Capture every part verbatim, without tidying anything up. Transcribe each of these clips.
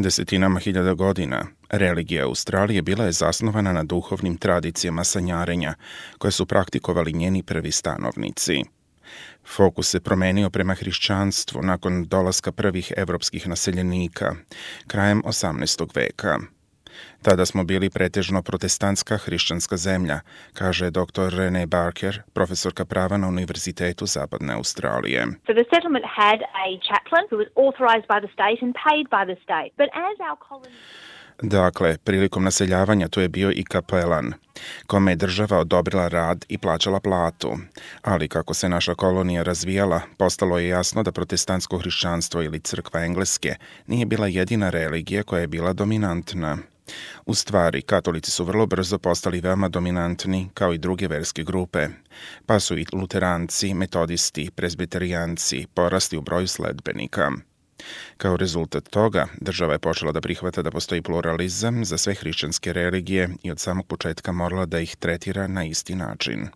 Desetinama hiljada godina religija Australije bila je zasnovana na duhovnim tradicijama sanjarenja, koje su praktikovali njeni prvi stanovnici. Fokus se promenio prema hrišćanstvu nakon dolaska prvih evropskih naseljenika, krajem osamnaestog veka. Tada smo bili pretežno protestantska hrišćanska zemlja, kaže doktor Renee Barker, profesorka prava na Univerzitetu Zapadne Australije. So the settlement had a chaplain who was authorized by the state and paid by the state. But as our colony... Dakle, prilikom naseljavanja tu je bio i kapelan, kome je država odobrila rad i plaćala platu. Ali kako se naša kolonija razvijala, postalo je jasno da protestantsko hrišćanstvo ili crkva Engleske nije bila jedina religija koja je bila dominantna. U stvari, katolici su vrlo brzo postali veoma dominantni, kao i druge verske grupe, pa su i luteranci, metodisti, prezbiterijanci porasli u broju sledbenika. Kao rezultat toga, država je počela da prihvata da postoji pluralizam za sve hrišćanske religije i od samog početka morala da ih tretira na isti način.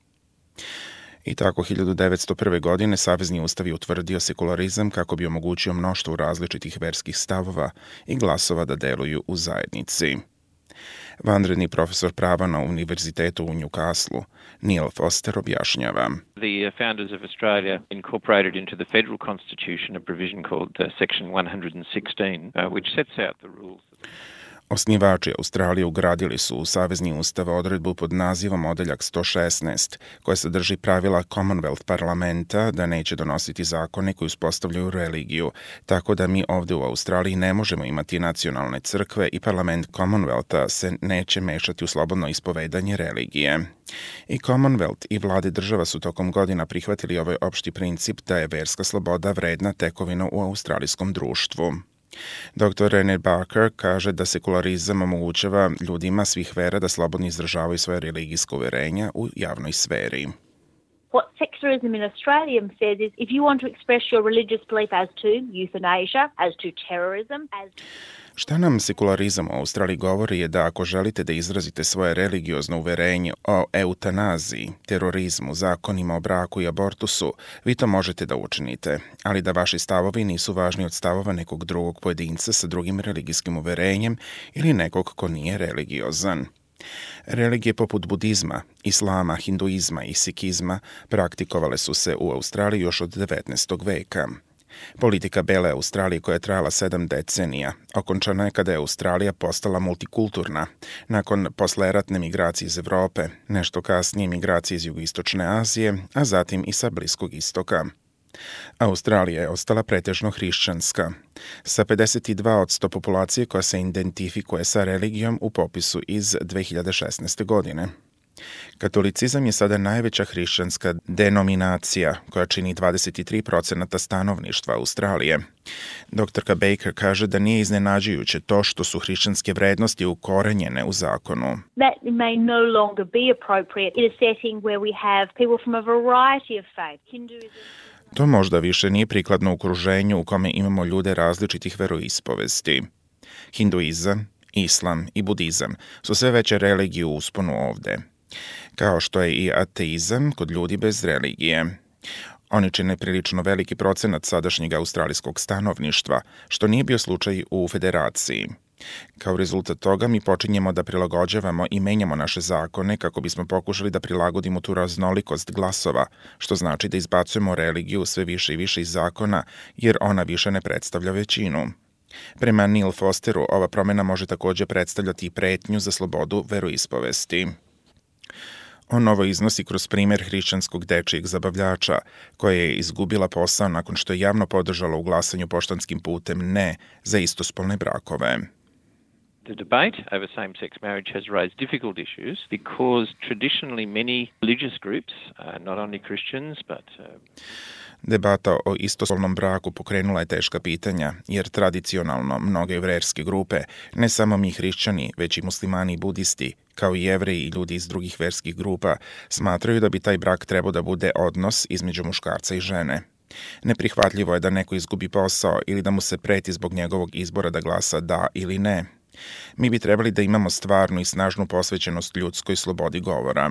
I tako hiljadu devetsto prve. godine Savezni ustav je utvrdio sekularizam kako bi omogućio mnoštvo različitih verskih stavova i glasova da deluju u zajednici. Vanredni profesor prava na Univerzitetu u Newcastle, Neil Foster, objašnjava. The founders of Australia incorporated into the federal constitution a provision called uh, section one sixteen, uh, which sets out the rules. Osnivači Australije ugradili su u Savezni ustav odredbu pod nazivom Odeljak sto šesnaest, koja sadrži pravila Commonwealth parlamenta da neće donositi zakone koji uspostavljaju religiju, tako da mi ovdje u Australiji ne možemo imati nacionalne crkve i parlament Commonwealtha se neće mešati u slobodno ispovedanje religije. I Commonwealth i vlade država su tokom godina prihvatili ovaj opšti princip da je verska sloboda vredna tekovina u australijskom društvu. doktor Renee Barker kaže da sekularizam omogućava ljudima svih vera da slobodno izražavaju svoje religijsko uverenja u javnoj sferi. What secularism in Australia says is if you want to express your religious belief as to euthanasia, as to terrorism, as... Šta nam sekularizam u Australiji govori je da ako želite da izrazite svoje religiozno uverenje o eutanaziji, terorizmu, zakonima o braku i abortusu, vi to možete da učinite, ali da vaši stavovi nisu važni od stavova nekog drugog pojedinca sa drugim religijskim uverenjem ili nekog ko nije religiozan. Religije poput budizma, islama, hinduizma i sikizma praktikovale su se u Australiji još od devetnaestog. veka. Politika bele Australije koja je trajala sedam decenija okončana je kada je Australija postala multikulturna, nakon posleratne migracije iz Evrope, nešto kasnije migracije iz jugoistočne Azije, a zatim i sa Bliskog istoka. Australija je ostala pretežno hrišćanska, sa pedeset dva posto populacije koja se identifikuje sa religijom u popisu iz dve hiljade šesnaeste. godine. Katolicizam je sada najveća hrišćanska denominacija koja čini dvadeset tri posto stanovništva Australije. Doktorka Baker kaže da nije iznenađujuće to što su hrišćanske vrednosti ukorenjene u zakonu. That may no longer be appropriate in a setting where we have people from a variety of faith. Hinduism. To možda više nije prikladno u okruženju u kome imamo ljude različitih veroispovesti. Hinduizam, islam i budizam su sve veće religije u usponu ovde, kao što je i ateizam kod ljudi bez religije. Oni čine prilično veliki procenat sadašnjeg australijskog stanovništva, što nije bio slučaj u federaciji. Kao rezultat toga mi počinjemo da prilagođavamo i menjamo naše zakone kako bismo pokušali da prilagodimo tu raznolikost glasova, što znači da izbacujemo religiju sve više i više iz zakona, jer ona više ne predstavlja većinu. Prema Neil Fosteru, ova promjena može također predstavljati i pretnju za slobodu veroispovesti. On ovo iznosi kroz primjer hrišćanskog dečijeg zabavljača, koja je izgubila posao nakon što je javno podržala u glasanju poštanskim putem ne za istospolne brakove. The debate over same-sex marriage has raised difficult issues because traditionally many religious groups, uh, not only Christians, but... Uh... Debata o istospolnom braku pokrenula je teška pitanja, jer tradicionalno mnoge verske grupe, ne samo mi hrišćani, već i muslimani i budisti, kao i jevreji i ljudi iz drugih verskih grupa, smatraju da bi taj brak trebao da bude odnos između muškarca i žene. Neprihvatljivo je da neko izgubi posao ili da mu se preti zbog njegovog izbora da glasa da ili ne. Mi bi trebali da imamo stvarnu i snažnu posvećenost ljudskoj slobodi govora.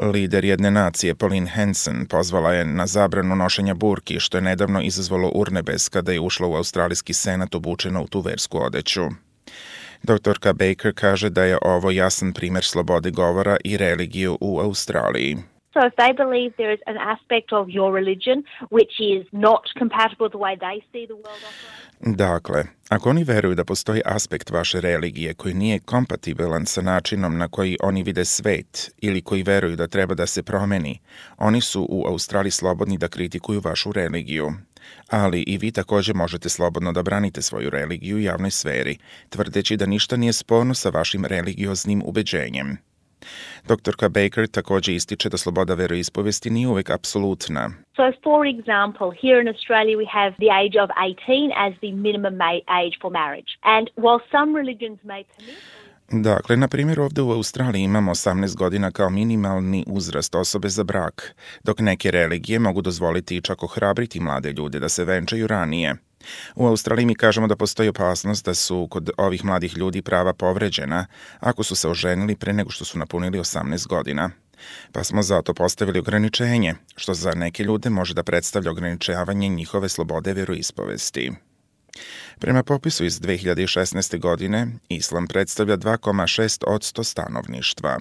Lider jedne nacije, Pauline Hanson, pozvala je na zabranu nošenja burki, što je nedavno izazvalo urnebes kada je ušla u australijski senat obučena u tu versku odeću. Doktorka Baker kaže da je ovo jasan primer slobode govora i religije u Australiji. So if they believe there is an aspect of your religion which is not compatible with the way they see the world operate. Dakle, ako oni veruju da postoji aspekt vaše religije koji nije kompatibilan sa načinom na koji oni vide svet ili koji veruju da treba da se promeni, oni su u Australiji slobodni da kritikuju vašu religiju. Ali i vi također možete slobodno da branite svoju religiju u javnoj sferi, tvrdeći da ništa nije sporno sa vašim religioznim ubeđenjem. Doktorka Baker također ističe da sloboda veroispovesti nije uvek apsolutna. So for example, here in Australia we have the age of eighteen as the minimum ma- age for marriage. And while some religions may permit Dakle, na primjer, ovdje u Australiji imamo osamnaest godina kao minimalni uzrast osobe za brak, dok neke religije mogu dozvoliti i čak ohrabriti mlade ljude da se venčaju ranije. U Australiji mi kažemo da postoji opasnost da su kod ovih mladih ljudi prava povređena ako su se oženili pre nego što su napunili osamnaest godina. Pa smo zato postavili ograničenje, što za neke ljude može da predstavlja ograničavanje njihove slobode veroispovesti. Prema popisu iz dve hiljade šesnaeste. godine, islam predstavlja dva zarez šest posto stanovništva.